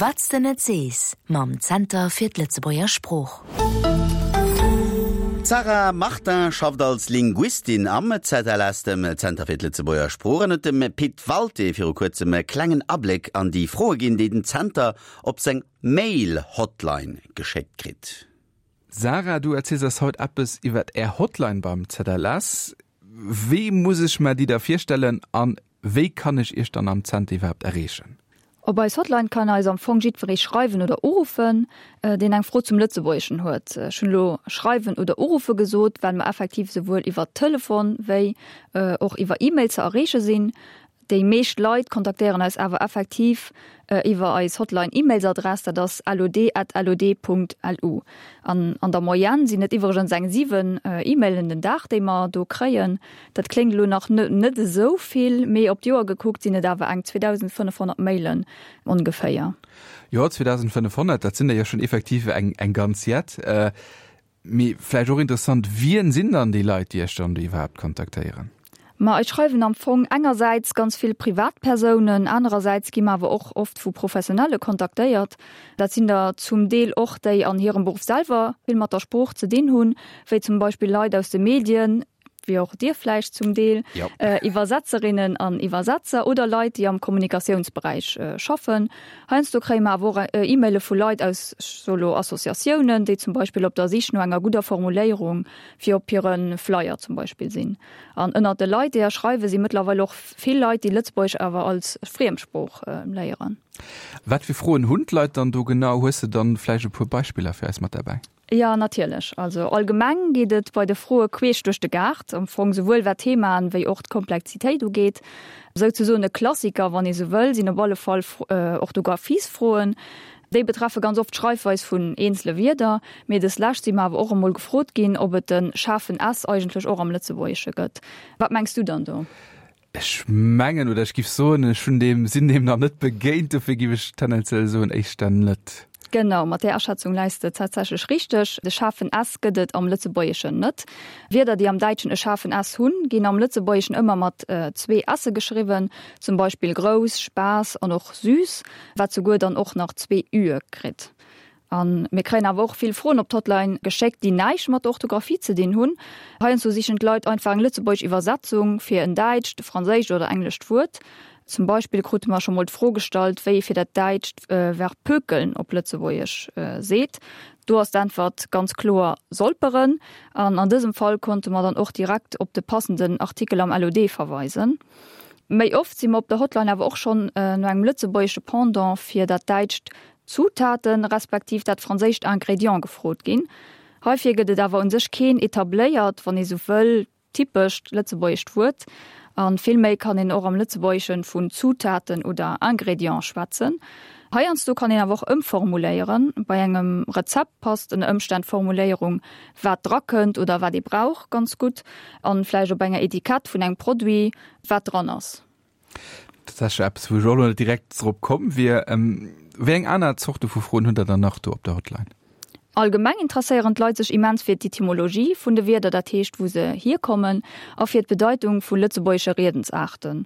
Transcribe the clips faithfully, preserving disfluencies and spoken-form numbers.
Wat s de net sees mam Zenter fir d'Lëtzebuerger Sprooch. D'Sarah Martin schafft als Linguistin am Z L S, dem Zenter fir d'Lëtzebuerger Sprooch, an huet dem Pit Walté viru kuerzem e klengen Abléck an déi Froe ginn, déi den Zenter op seng Mail-Hotline geschéckt kritt. Sarah, du erziels eis haut eppes iwwer Är Hotline beim Z L S. Wéi muss ech mer déi da virstellen an wéi kann ech Iech dann am Zenter iwwerhaapt erreechen? Op eis Hotline kann eis am Fong jiddweree schreiwen oder uruffen, deen eng Fro zum Lëtzebuergeschen huet. Ech hunn elo schreiwen oder uruffe gesot, well mer effektiv souwuel iwwer Telefon wéi och iwwer E-Mail ze erreeche sinn. Déi meescht Leit kontaktéieren eis awer effektiv iwwer eis Hotline-E-Mailsadress, dat ass lod at lod Punkt lu. An an der Moyenne sinn et iwwregens eng siwen E-Mailen den Dag, déi mer do kréien. Dat kléngt elo nach net esou vill, mee op d'Joer gekuckt sinn et awer eng zweedausendfënnefhonnert Mailen ongeféier. Jo, zweedausendfënnefhonnert, dat sinn der jo schonn effektiv eng eng ganz Jett. Mee vläicht och interessant, wien sinn dann déi Leit, déi Iech dann do iwwerhaapt kontaktéieren? Ma eis schreiwen am Fong engersäits ganz vill Privatpersounen, anerersäits gi mer awer och oft vu Professionelle kontaktéiert. Dat sinn der zum Deel och déi an hirem Beruff selwer vill mat der Sprooch ze dinn hunn, wéi zum Beispill Leit aus de Medien, wéi och dir vläicht zum Deel, Iwwersetzerinnen an Iwwersetzer oder Leit, déi am Kommunikatiounsberäich schaffen. Heiansdo kréie mer awer och E-Maile vu Leit aus, ech soe lo, Associatiounen, déi zum Beispill op der Sich no enger gudder Formuléierung fir op hire Flyer zum Beispill sinn. An ënnert de Leit, déi eis schreiwen, si mëttlerweil och vill Leit, déi Lëtzebuergesch awer als Friemsprooch léieren. Wat fir Froen hunn d'Leit dann do genau? Hues de dann vläicht e puer Beispiller fir eis mat derbäi? Jo, natierlech. Also allgemeng geet et bei de Froe queesch duerch de Gaart, am Fong souwuel wat d'Themaen wéi och d'Komplexitéit ugeet. Souzesoen e Klassiker, wann ee sou wëll, sinn op alle Fall Orthographiesfroen. Déi betreffe ganz oft d'Schreifweis vun eenzele Wierder, mee dës Lescht si mer awer och emol gefrot ginn, ob et de schaarfen S eigentlech och am Lëtzebuergesche gëtt. Wat mengs du dann do? Ech mengen oder ech giff soen, ech hunn deem, sinn deem nach net begéint, dofir giff ech tendenziell soen, éischter net. Genau, mat där Aschätzung läis de tatsächlech richteg. De schaarfen S gëtt et am Lëtzebuergeschen net. Wierder, déi am Däitschen e schaarfen S hunn, ginn am Lëtzebuergeschen ëmmer mat zwee S'e geschriwwen, zum Beispill grouss, Spaass an och süß, wat souguer dann och nach zwee Üe kritt. A mir kréien awer och vill Froen op d'Hotline geschéckt, déi näischt mat der Orthografie ze dinn hunn. Heiansdo sichen d'Leit einfach eng lëtzebuergesch Iwwersetzung fir en däitscht, franséischt oder englescht Wuert. Zum Beispill krute mer scho mol d'Fro gestallt, wéi ee fir dat däitscht Verb pökeln op Lëtzebuergesch seet. Do ass d'Äntwert ganz kloer solperen. An an dësem Fall konnte mer dann och direkt op de passenden Artikel am L O D verweisen. Méi oft si mer op der Hotline awer och schonn no engem lëtzebuergesche Pendant fir dat däitscht Zutaten respektiv dat franséischt Ingrédient gefrot ginn. Heifir gëtt et awer un sech keen etabléiert, wann ee sou wëll, typescht lëtzebuergescht Wuert. A villméi kann een och am Lëtzebuergeschen vun Zutaten oder Ingrédients schwätzen. Heiansdo kann een awer och ëmformuléieren. Bei engem Rezept passt ënner Ëmstänn d'Formuléierung wat drakënnt oder wat ee brauch ganz gutt. An vläicht op enger Etikett vun engem Produit wat dran ass. Dat ass jo eppes, wou ech och elo net direkt drop komm wier. Wéi eng aner Zorte vu Froen hutt Der dann nach do op der Hotline? Allgemeng interesséieren d'Leit sech immens fir d'Etymologie vun de Wierder, dat heescht wou se hierkommen, a fir d'Bedeitung vu lëtzebuergesche Riedensaarten.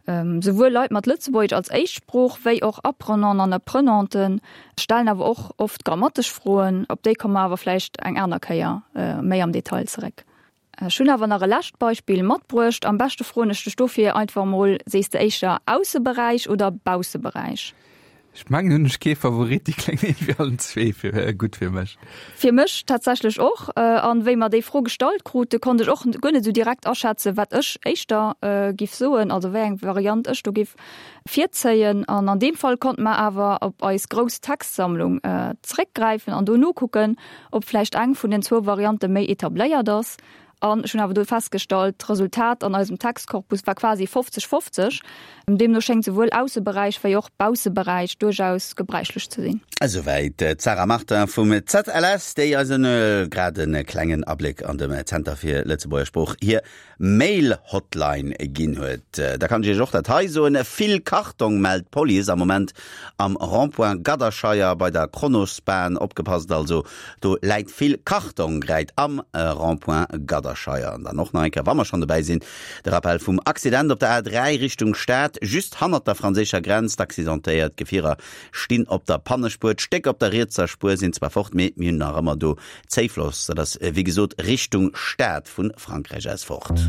Souwuel Leit mat Lëtzebuergesch als Éischtsprooch wéi och Apprenanten an Apprenanten stellen awer och oft grammatesch Froen, op déi komme mer awer vläicht eng aner Kéier méi am Detail zeréck. Ech hunn awer nach e lescht Beispill matbruecht. Am beschte froen ech dech dofir einfach mol, Sees de éischter Ausseberäich oder Bausseberäich? Ech mengen hunn ech kee Favorit, déi kléngen iergendwéi allen zwee fir gutt fir mech. Fir mech tatsächlech och. An wéi mer déi Fro gestallt krute, konnt ech och guer net esou direkt aschätzen, wat ech éischter giff soen, also wéi eng Variant ech do giff virzéien. An an deem Fall konnte mer awer op eis grouss Textsammlung zeréckgräifen an do nokucken, ob vläicht eng vun den zwou Variante méi etabléiert ass. An ech hunn awer do festgestallt, d'Resultat an eisem Textkorpus war quasi fofzeg fofzeg. Deemno schéngt souwuel Ausseberäich wéi och Bausseberäich duerchaus gebräichlech ze sinn. Esouwäit d'Sarah Martin vum Z L S, déi eis en grad e klengen Abléck an dem Zenter fir Lëtzebuerger Sprooch hir Mail-Hotline ginn huet. Da kann ech Iech och dat hei soen, Vill Kartong mellt d'Police am Moment am Rond-point Gadderscheier bei der Kronospan. Opgepasst also, do läit vill Kartong gräit am Rond-point Gadderscheier. Scheier. An dann och nach eng Kéier, wa mer schonn dobäi sinn, de Rappel vum Accident op der A dräi Richtung Stad, just hannert der franséischer Grenz. D'accidentéiert Gefierer stinn op der Pannespuer. D'Stéck op der rietser Spuer sinn zwar fort, mee mir hunn nach ëmmer do Zéifloss. Dat ass wéi gesot Richtung Stad vu Frankräich aus fort.